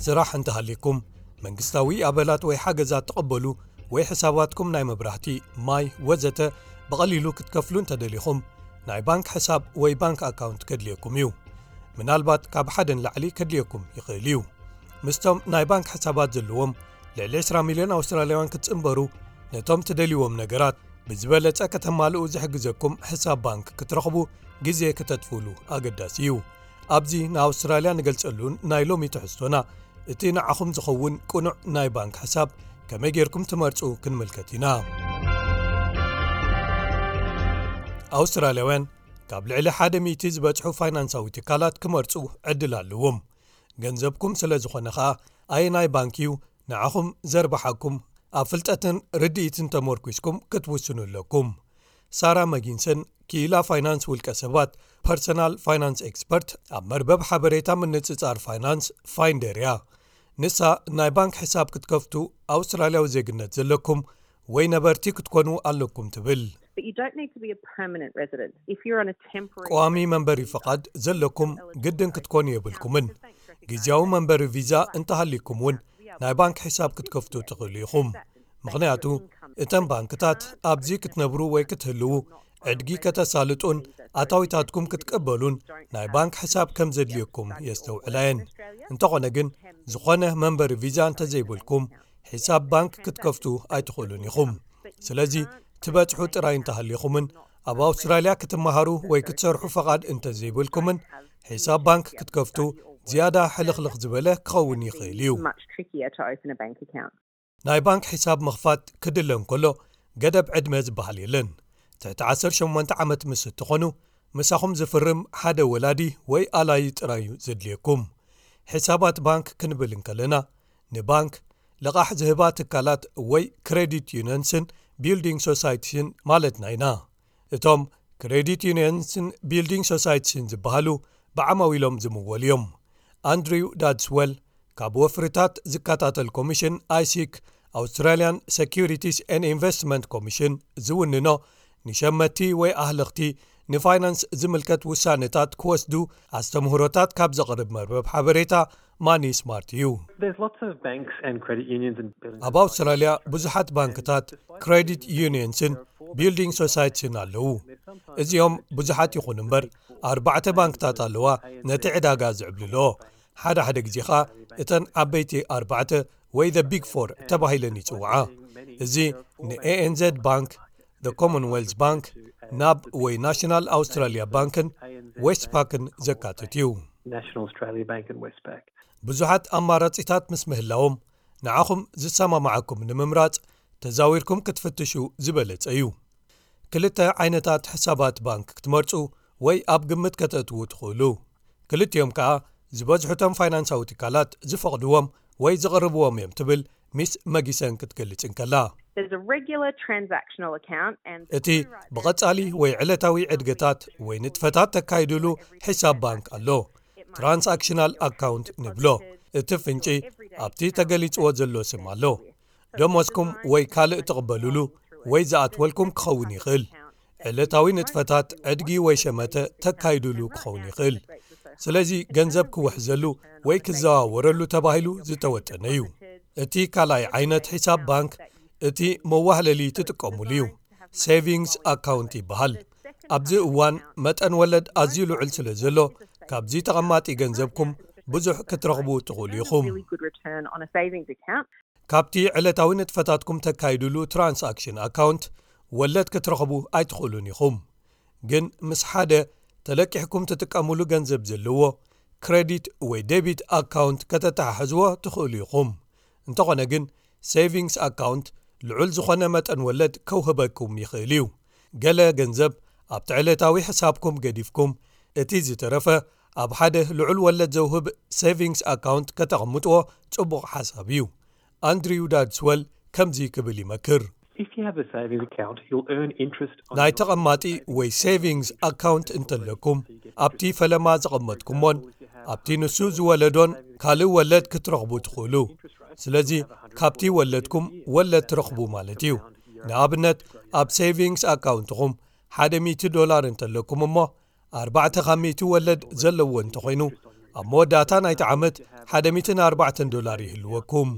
ስራሕ እንተሃልይኩም፣ መንግስታዊ ኣበላት ወይ ሓገዛት ትቕበሉ ወይ ሕሳባትኩም ናይ መብራህቲ፣ ማይ ወዘተ ብቐሊሉ ክትከፍሉ እንተደሊኹም፣ ናይ ባንክ ሕሳብ ወይ ባንክ ኣካውንት ከድልየኩም እዩ። ምናልባት ካብ ሓደ ንላዕሊ ከድልየኩም ይኽእል እዩ። ምስቶም ናይ ባንክ ሕሳባት ዘለዎም ልዕሊ ዕስራ ሚልዮን ኣውስትራልያውያን ክትጽንበሩ፣ ነቶም ትደልይዎም ነገራት ብዝበለጸ ከተማልኡ ዝሕግዘኩም ሕሳብ ባንክ ክትረኽቡ ግዜ ከተጥፍእሉ ኣገዳሲ እዩ። ኣብዚ ንኣውስትራልያ ንገልጸሉን ናይ ሎሚ ትሕዝቶና፣ እቲ ንዓኹም ዝኸውን ቅኑዕ ናይ ባንክ ሕሳብ ከመይ ጌርኩም ትመርጹ ክንምልከት ኢና። ኣውስትራልያውያን ካብ ልዕሊ ሓደ ሚእቲ ዝበጽሑ ፋይናንሳዊ ትካላት ክመርጹ ዕድል ኣለዎም። ገንዘብኩም ስለ ዝኾነ ኸኣ፣ ኣየናይ ባንክ እዩ ንዓኹም ዘርብሓኩም፣ ኣብ ፍልጠትን ርድኢትን ተመርኲስኩም ክትውስኑ ኣለኩም። ሳራ መጊንሰን፣ ክኢላ ፋይናንስ ውልቀ ሰባት፣ ፐርሰናል ፋይናንስ ኤክስፐርት፣ ኣብ መርበብ ሓበሬታ ምንጽጻር ፋይናንስ ፋይንደር እያ። ንሳ፣ ናይ ባንክ ሕሳብ ክትከፍቱ ኣውስትራልያዊ ዜግነት ዘለኩም ወይ ነበርቲ ክትኮኑ ኣለኩም ትብል። But you don't need to be a permanent resident. If you're on a temporary ቀዋሚ መንበሪ ፍቓድ ዘለኩም ግድን ክትኮኑ የብልኩምን። ግዝያዊ መንበሪ ቪዛ እንተሃሊኩም እውን ናይ ባንክ ሕሳብ ክትከፍቱ ትኽእሉ ኢኹም። ምኽንያቱ እተን ባንክታት ኣብዚ ክትነብሩ ወይ ክትህልዉ፣ ዕድጊ ከተሳልጡን ኣታዊታትኩም ክትቀበሉን ናይ ባንክ ሕሳብ ከም ዘድልየኩም የስተውዕላ እየን። እንተኾነ ግን፣ ዝኾነ መንበሪ ቪዛ እንተዘይብልኩም፣ ሕሳብ ባንክ ክትከፍቱ ኣይትኽእሉን ኢኹም። ስለዚ ትበጽሑ ጥራይ እንተሃሊኹምን ኣብ ኣውስትራልያ ክትመሃሩ ወይ ክትሰርሑ ፈቓድ እንተዘይብልኩምን፣ ሕሳብ ባንክ ክትከፍቱ ዝያዳ ሕልኽልኽ ዝበለ ክኸውን ይኽእል እዩ። Much trickier to open a bank account. ናይ ባንክ ሕሳብ ምኽፋት ክድለ እንከሎ፣ ገደብ ዕድመ ዝበሃል የለን። ትሕቲ ዓሰርተ ሸሞንተ ዓመት ምስ እትኾኑ፣ ምሳኹም ዝፍርም ሓደ ወላዲ ወይ ኣላዪ ጥራይ እዩ ዘድልየኩም። ሕሳባት ባንክ ክንብል እንከለና፣ ንባንክ፣ ልቓሕ ዝህባ ትካላት ወይ ክሬዲት ዩኒየንስን ቢልዲንግ ሶሳይቲስን ማለትና ኢና። እቶም ክሬዲት ዩኒየንስን ቢልዲንግ ሶሳይቲስን ዝበሃሉ ብዓማዊሎም ዝምወሉ እዮም። ኣንድሪው ዳድስወል፣ ካብ ወፍርታት ዝከታተል ኮሚሽን ኣይሲክ፣ ኣውስትራልያን ሰኪሪቲስ ኤን ኢንቨስትመንት ኮሚሽን ዝውንኖ፣ ንሸመቲ ወይ ኣህለኽቲ ንፋይናንስ ዝምልከት ውሳነታት ክወስዱ ኣስተምህሮታት ካብ ዘቕርብ መርበብ ሓበሬታ ማኒ ስማርት እዩ። There's lots of banks and credit unions and building ኣብ ኣውስትራልያ ብዙሓት ባንክታት፣ ክሬዲት ዩኒየንስን ቢልዲንግ ሶሳይቲስን ኣለዉ። እዚኦም ብዙሓት ይኹኑ እምበር፣ ኣርባዕተ ባንክታት ኣለዋ ነቲ ዕዳጋ ዝዕብልልኦ። ሓደ ሓደ ግዜ ኸኣ እተን ዓበይቲ ኣርባዕተ ወይ the big four ተባሂለን ይጽውዓ። እዚ ንኤኤንዘድ ባንክ፣ the ኮመንዌልዝ ባንክ፣ ናብ ወይ ናሽናል ኣውስትራልያ ባንክን ዌስትፓክን ዘካትት እዩ። National Australia Bank and Westpac። ብዙሓት ኣማራጺታት ምስ ምህላዎም፣ ንዓኹም ዝሰማማዓኩም ንምምራጽ ተዛዊርኩም ክትፍትሹ ዝበለጸ እዩ። ክልተ ዓይነታት ሕሳባት ባንክ ክትመርጹ ወይ ኣብ ግምት ከተእትዉ ትኽእሉ። ክልቲኦም ከኣ ዝበዝሑቶም ፋይናንሳዊ ትካላት ዝፈቕድዎም ወይ ዝቕርብዎም እዮም ትብል ሚስ መጊሰን ክትገልጽ እንከላ። There's a regular transactional account and እቲ ብቐጻሊ ወይ ዕለታዊ ዕድገታት ወይ ንጥፈታት ተካይድሉ ሕሳብ ባንክ ኣሎ። ትራንሳክሽናል ኣካውንት ንብሎ። እቲ ፍንጪ ኣብቲ ተገሊጽዎ ዘሎ ስም ኣሎ። ደሞዝኩም ወይ ካልእ ትቕበሉሉ ወይ ዝኣትወልኩም ክኸውን ይኽእል። ዕለታዊ ንጥፈታት ዕድጊ ወይ ሸመተ ተካይዱሉ ክኸውን ይኽእል። ስለዚ ገንዘብ ክውሕዘሉ ወይ ክዘዋወረሉ ተባሂሉ ዝተወጠነ እዩ። እቲ ካልኣይ ዓይነት ሒሳብ ባንክ እቲ መዋህለሊ ትጥቀሙሉ እዩ። ሴቪንግስ ኣካውንት ይበሃል። ኣብዚ እዋን መጠን ወለድ ኣዝዩ ልዑል ስለ ዘሎ፣ ካብዚ ተቐማጢ ገንዘብኩም ብዙሕ ክትረኽቡ ትኽእሉ ኢኹም። Really good return on a savings account. ካብቲ ዕለታዊ ንጥፈታትኩም ተካይዱሉ ትራንሳክሽን ኣካውንት ወለድ ክትረኽቡ ኣይትኽእሉን ኢኹም። ግን ምስ ሓደ ተለቂሕኩም ትጥቀሙሉ ገንዘብ ዘለዎ ክሬዲት ወይ ዴቢት ኣካውንት ከተተሓሕዝዎ ትኽእሉ ኢኹም። እንተኾነ ግን፣ ሴቪንግስ ኣካውንት ልዑል ዝኾነ መጠን ወለድ ከውህበኩም ይኽእል እዩ። ገለ ገንዘብ ኣብቲ ዕለታዊ ሕሳብኩም ገዲፍኩም፣ እቲ ዝተረፈ ኣብ ሓደ ልዑል ወለድ ዘውህብ ሴቪንግስ ኣካውንት ከተቐምጥዎ ጽቡቕ ሓሳብ እዩ። ኣንድሪው ዳድስወል ከምዚ ክብል ይመክር። If you have a savings account, you'll earn interest on ናይ ተቐማጢ ወይ ሴቪንግስ ኣካውንት እንተለኩም፣ ኣብቲ ፈለማ ዘቐመጥኩሞን ኣብቲ ንሱ ዝወለዶን ካልእ ወለድ ክትረኽቡ ትኽእሉ። ስለዚ ካብቲ ወለድኩም ወለድ ትረኽቡ ማለት እዩ። ንኣብነት፣ ኣብ ሴቪንግስ ኣካውንትኹም ሓደ ሚእቲ ዶላር እንተለኩም እሞ፣ ኣርባዕተ ካብ ሚእቲ ወለድ ዘለዎ እንተኾይኑ፣ ኣብ መወዳእታ ናይቲ ዓመት ሓደ ሚእትን ኣርባዕተን ዶላር ይህልወኩም።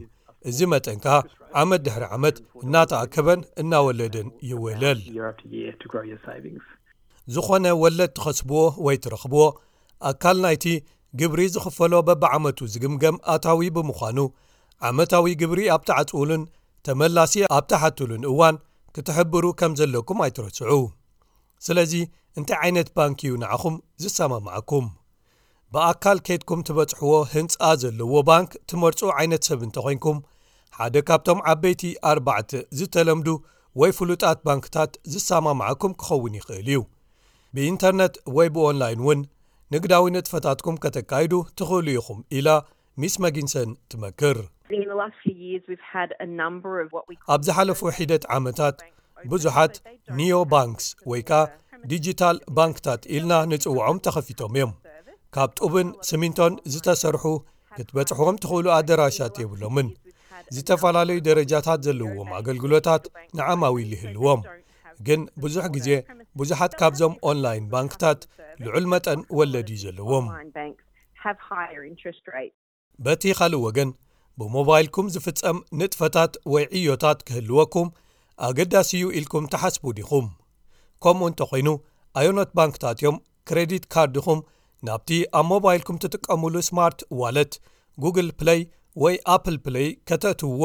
እዚ መጠን ከኣ ዓመት ድሕሪ ዓመት እናተኣከበን እናወለደን ይውህለል። Year after year to grow your savings. ዝኾነ ወለድ ትኸስብዎ ወይ ትረኽብዎ ኣካል ናይቲ ግብሪ ዝኽፈሎ በብዓመቱ ዝግምገም ኣታዊ ብምዃኑ፣ ዓመታዊ ግብሪ ኣብ ትዓጽውሉን ተመላሲ ኣብ ትሓትሉን እዋን ክትሕብሩ ከም ዘለኩም ኣይትረስዑ። ስለዚ እንታይ ዓይነት ባንክ እዩ ንዓኹም ዝሰማምዓኩም? ብኣካል ከይድኩም ትበጽሕዎ ህንጻ ዘለዎ ባንክ ትመርጹ ዓይነት ሰብ እንተኾይንኩም፣ ሓደ ካብቶም ዓበይቲ ኣርባዕተ ዝተለምዱ ወይ ፍሉጣት ባንክታት ዝሰማምዓኩም ክኸውን ይኽእል እዩ። ብኢንተርነት ወይ ብኦንላይን እውን ንግዳዊ ንጥፈታትኩም ከተካይዱ ትኽእሉ ኢኹም ኢላ ሚስ መጊንሰን ትመክር። In the last few years, we've had a number of what we call ኣብ ዝሓለፉ ሒደት ዓመታት ብዙሓት ኒዮ ባንክስ ወይ ከኣ ዲጂታል ባንክታት ኢልና ንጽውዖም ተኸፊቶም እዮም። ካብ ጡብን ስሚንቶን ዝተሰርሑ ክትበጽሕዎም ትኽእሉ ኣደራሻት የብሎምን። ዝተፈላለዩ ደረጃታት ዘለዎም ኣገልግሎታት ንዓማዊል ይህልዎም። ግን ብዙሕ ግዜ ብዙሓት ካብዞም ኦንላይን ባንክታት ልዑል መጠን ወለድ እዩ ዘለዎም። Online banks have higher interest rates. በቲ ካልእ ወገን ብሞባይልኩም ዝፍጸም ንጥፈታት ወይ ዕዮታት ክህልወኩም ኣገዳሲ እዩ ኢልኩም ትሓስቡ ዲኹም? ከምኡ እንተኾይኑ ኣየኖት ባንክታት እዮም ክሬዲት ካርድኹም ናብቲ ኣብ ሞባይልኩም ትጥቀሙሉ ስማርት ዋለት፣ ጉግል ፕለይ ወይ ኣፕል ፕለይ ከተእትውዎ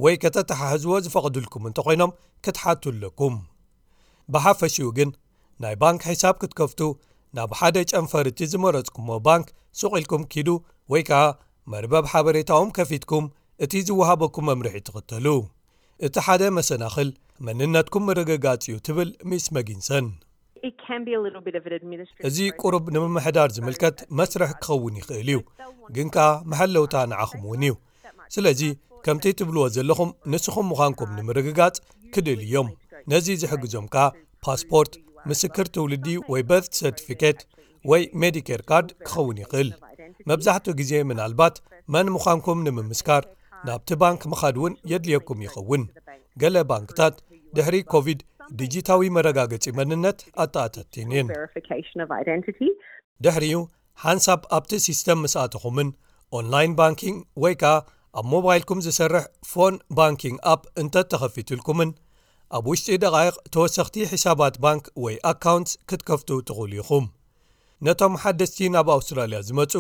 ወይ ከተተሓሕዝዎ ዝፈቕዱልኩም እንተኾይኖም ክትሓቱ ኣለኩም። ብሓፈሽኡ ግን ናይ ባንክ ሒሳብ ክትከፍቱ ናብ ሓደ ጨንፈር እቲ ዝመረጽኩሞ ባንክ ሱቕ ኢልኩም ኪዱ ወይ ከኣ መርበብ ሓበሬታኦም ከፊትኩም እቲ ዝወሃበኩም መምርሒ ትኽተሉ። እቲ ሓደ መሰናኽል መንነትኩም ምርግጋጽ እዩ ትብል ሚስ መጊንሰን። It can be a little bit of an administrative እዚ ቁሩብ ንምምሕዳር ዝምልከት መስርሕ ክኸውን ይኽእል እዩ፣ ግን ከኣ መሐለውታ ንዓኹም እውን እዩ። ስለዚ ከምቲ ትብልዎ ዘለኹም ንስኹም ምዃንኩም ንምርግጋጽ ክደልዩ እዮም። ነዚ ዝሕግዞም ከኣ ፓስፖርት፣ ምስክር ትውልዲ ወይ በርት ሰርቲፊኬት ወይ ሜዲኬር ካርድ ክኸውን ይኽእል። መብዛሕትኡ ግዜ ምናልባት መን ምዃንኩም ንምምስካር ናብቲ ባንክ ምኻድ እውን የድልየኩም ይኸውን። ገለ ባንክታት ድሕሪ ኮቪድ ዲጂታዊ መረጋገጺ መንነት ኣተኣታቲን እየን። verification of identity. ድሕሪኡ ሓንሳብ ኣብቲ ሲስተም ምስ ኣተኹምን ኦንላይን ባንኪንግ ወይ ከኣ ኣብ ሞባይልኩም ዝሰርሕ ፎን ባንኪንግ ኣፕ እንተተኸፊቱልኩምን ኣብ ውሽጢ ደቓይቕ ተወሰኽቲ ሒሳባት ባንክ ወይ ኣካውንትስ ክትከፍቱ ትኽእሉ ኢኹም። ነቶም ሓደስቲ ናብ ኣውስትራልያ ዝመጹ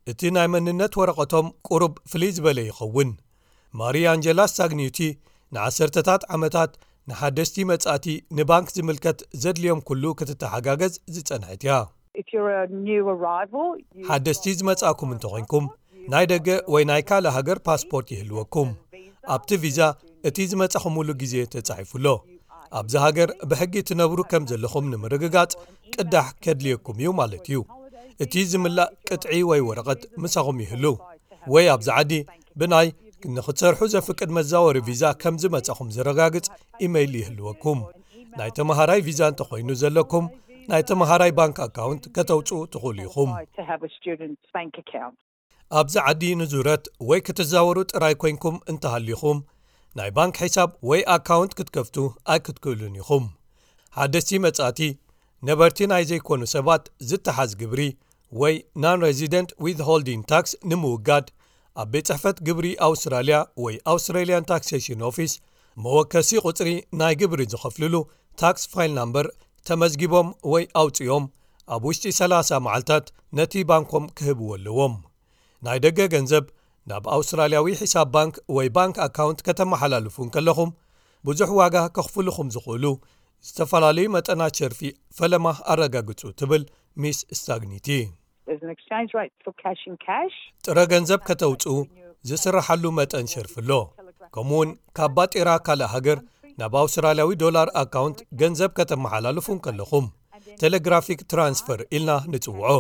እቲ ናይ መንነት ወረቐቶም ቁሩብ ፍልይ ዝበለ ይኸውን። ማሪ ኣንጀላ ስታግኒዩቲ ንዓሰርተታት ዓመታት ንሓደስቲ መጻእቲ ንባንክ ዝምልከት ዘድልዮም ኩሉ ክትተሓጋገዝ ዝጸንሐት እያ። If you're a new arrival, you ሓደስቲ ዝመጻእኩም እንተኾይንኩም ናይ ደገ ወይ ናይ ካልእ ሃገር ፓስፖርት ይህልወኩም። ኣብቲ ቪዛ እቲ ዝመጻኹምሉ ግዜ ተጻሒፉ ኣሎ። ኣብዚ ሃገር ብሕጊ ትነብሩ ከም ዘለኹም ንምርግጋጽ ቅዳሕ ከድልየኩም እዩ ማለት እዩ። እቲ ዝምላእ ቅጥዒ ወይ ወረቐት ምሳኹም ይህሉ ወይ ኣብዚ ዓዲ ብናይ ንኽትሰርሑ ዘፍቅድ መዛወሪ ቪዛ ከም ዝመጻኹም ዘረጋግጽ ኢመይል ይህልወኩም። ናይ ተመሃራይ ቪዛ እንተኾይኑ ዘለኩም ናይ ተመሃራይ ባንክ ኣካውንት ከተውጽኡ ትኽእሉ ኢኹም። to have a student's bank account. ኣብዚ ዓዲ ንዙረት ወይ ክትዛወሩ ጥራይ ኮይንኩም እንተሃሊኹም ናይ ባንክ ሒሳብ ወይ ኣካውንት ክትከፍቱ ኣይክትክእሉን ኢኹም። ሓደስቲ መጻእቲ ነበርቲ ናይ ዘይኮኑ ሰባት ዝተሓዝ ግብሪ ወይ non-resident withholding tax ንምውጋድ ኣብ ቤት ጽሕፈት ግብሪ ኣውስትራልያ ወይ Australian Taxation Office መወከሲ ቁጽሪ ናይ ግብሪ ዝኸፍልሉ ታክስ ፋይል ናምበር ተመዝጊቦም ወይ ኣውጽኦም ኣብ ውሽጢ ሰላሳ መዓልታት ነቲ ባንኮም ክህብዎ ኣለዎም። ናይ ደገ ገንዘብ ናብ ኣውስትራልያዊ ሒሳብ ባንክ ወይ ባንክ ኣካውንት ከተመሓላልፉ እንከለኹም ብዙሕ ዋጋ ከኽፍልኹም ዝኽእሉ ዝተፈላለዩ መጠናት ሸርፊ ፈለማ ኣረጋግጹ ትብል ሚስ ስታግኒቲ። There's an exchange rate for cash in cash. ጥረ ገንዘብ ከተውጽኡ ዝስራሓሉ መጠን ሸርፊ ኣሎ። ከምኡውን ካብ ባጤራ ካልእ ሃገር ናብ ኣውስትራልያዊ ዶላር ኣካውንት ገንዘብ ከተመሓላልፉ እንከለኹም ቴሌግራፊክ ትራንስፈር ኢልና ንጽውዖ።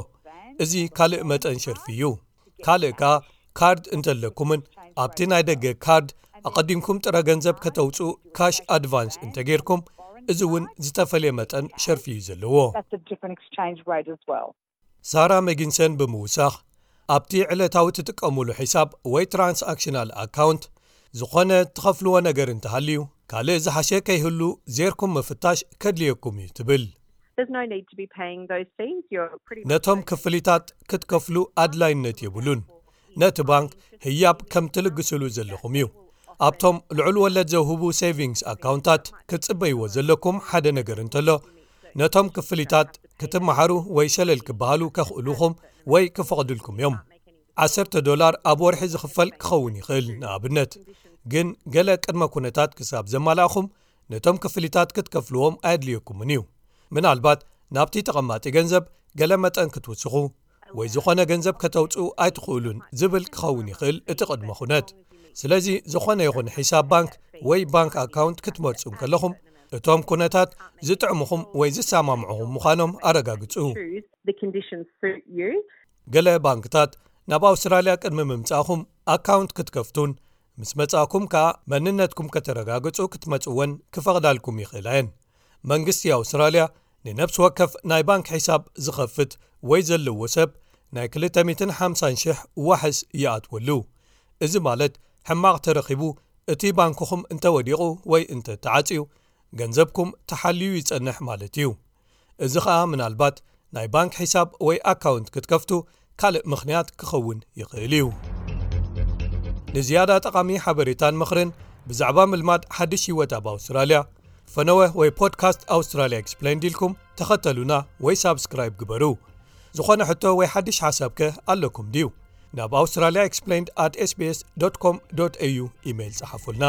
እዚ ካልእ መጠን ሸርፊ እዩ። ካልእ ከኣ ካርድ እንተለኩምን ኣብቲ ናይ ደገ ካርድ ኣቐዲምኩም ጥረ ገንዘብ ከተውጽኡ ካሽ ኣድቫንስ እንተጌርኩም እዚ እውን ዝተፈልየ መጠን ሸርፊ እዩ ዘለዎ። That's a different exchange rate as well. ሳራ መጊንሰን ብምውሳኽ ኣብቲ ዕለታዊ ትጥቀሙሉ ሒሳብ ወይ ትራንስኣክሽናል ኣካውንት ዝኾነ ትኸፍልዎ ነገር እንተሃልዩ ካልእ ዝሓሸ ከይህሉ ዜርኩም ምፍታሽ ከድልየኩም እዩ ትብል። There's no need to be paying those fees. You're pretty ነቶም ክፍሊታት ክትከፍሉ ኣድላይነት የብሉን። ነቲ ባንክ ህያብ ከም ትልግስሉ ዘለኹም እዩ። ኣብቶም ልዑል ወለድ ዘውህቡ ሴቪንግስ ኣካውንታት ክትጽበይዎ ዘለኩም ሓደ ነገር እንተሎ፣ ነቶም ክፍሊታት ክትመሓሩ ወይ ሸለል ክበሃሉ ከኽእሉኹም ወይ ክፈቕዱልኩም እዮም። ዓሰርተ ዶላር ኣብ ወርሒ ዝኽፈል ክኸውን ይኽእል። ንኣብነት ግን፣ ገለ ቅድመ ኩነታት ክሳብ ዘማላእኹም፣ ነቶም ክፍሊታት ክትከፍልዎም ኣየድልየኩምን እዩ። ምናልባት ናብቲ ተቐማጢ ገንዘብ ገለ መጠን ክትውስኹ ወይ ዝኾነ ገንዘብ ከተውፅኡ ኣይትኽእሉን ዝብል ክኸውን ይኽእል እቲ ቅድመ ኩነት። ስለዚ፣ ዝኾነ ይኹን ሒሳብ ባንክ ወይ ባንክ ኣካውንት ክትመርጹ እንከለኹም፣ እቶም ኩነታት ዝጥዕሙኹም ወይ ዝሰማምዑኹም ምዃኖም ኣረጋግጹ። Choose the conditions suit you. ገለ ባንክታት ናብ ኣውስትራልያ ቅድሚ ምምጻእኹም ኣካውንት ክትከፍቱን ምስ መጻእኩም ከኣ መንነትኩም ከተረጋግጹ ክትመጽወን ክፈቕዳልኩም ይኽእላ እየን። መንግስቲ ኣውስትራልያ ንነፍሲ ወከፍ ናይ ባንክ ሒሳብ ዝኸፍት ወይ ዘለዎ ሰብ ናይ ክልተ ሚእትን ሓምሳን ሽሕ ዋሕስ ይኣትወሉ። እዚ ማለት፣ ሕማቕ ተረኺቡ እቲ ባንክኹም እንተወዲቑ ወይ እንተተዓጽዩ፣ ገንዘብኩም ተሓልዩ ይጸንሕ ማለት እዩ። እዚ ኸኣ ምናልባት ናይ ባንክ ሒሳብ ወይ ኣካውንት ክትከፍቱ ካልእ ምኽንያት ክኸውን ይኽእል እዩ። ንዝያዳ ጠቓሚ ሓበሬታን ምኽርን ብዛዕባ ምልማድ ሓድሽ ህይወት ኣብ ኣውስትራልያ፣ ፈነወ ወይ ፖድካስት ኣውስትራልያ ኤክስፕሌንድ ኢልኩም ተኸተሉና ወይ ሳብስክራይብ ግበሩ። ዝኾነ ሕቶ ወይ ሓድሽ ሓሳብ ከ ኣለኩም ድዩ? ናብ ኣውስትራልያ ኤክስፕሌንድ ኣት ኤስቢኤስ ዶት ኮም ዶት ኤዩ ኢሜይል ጸሓፉልና።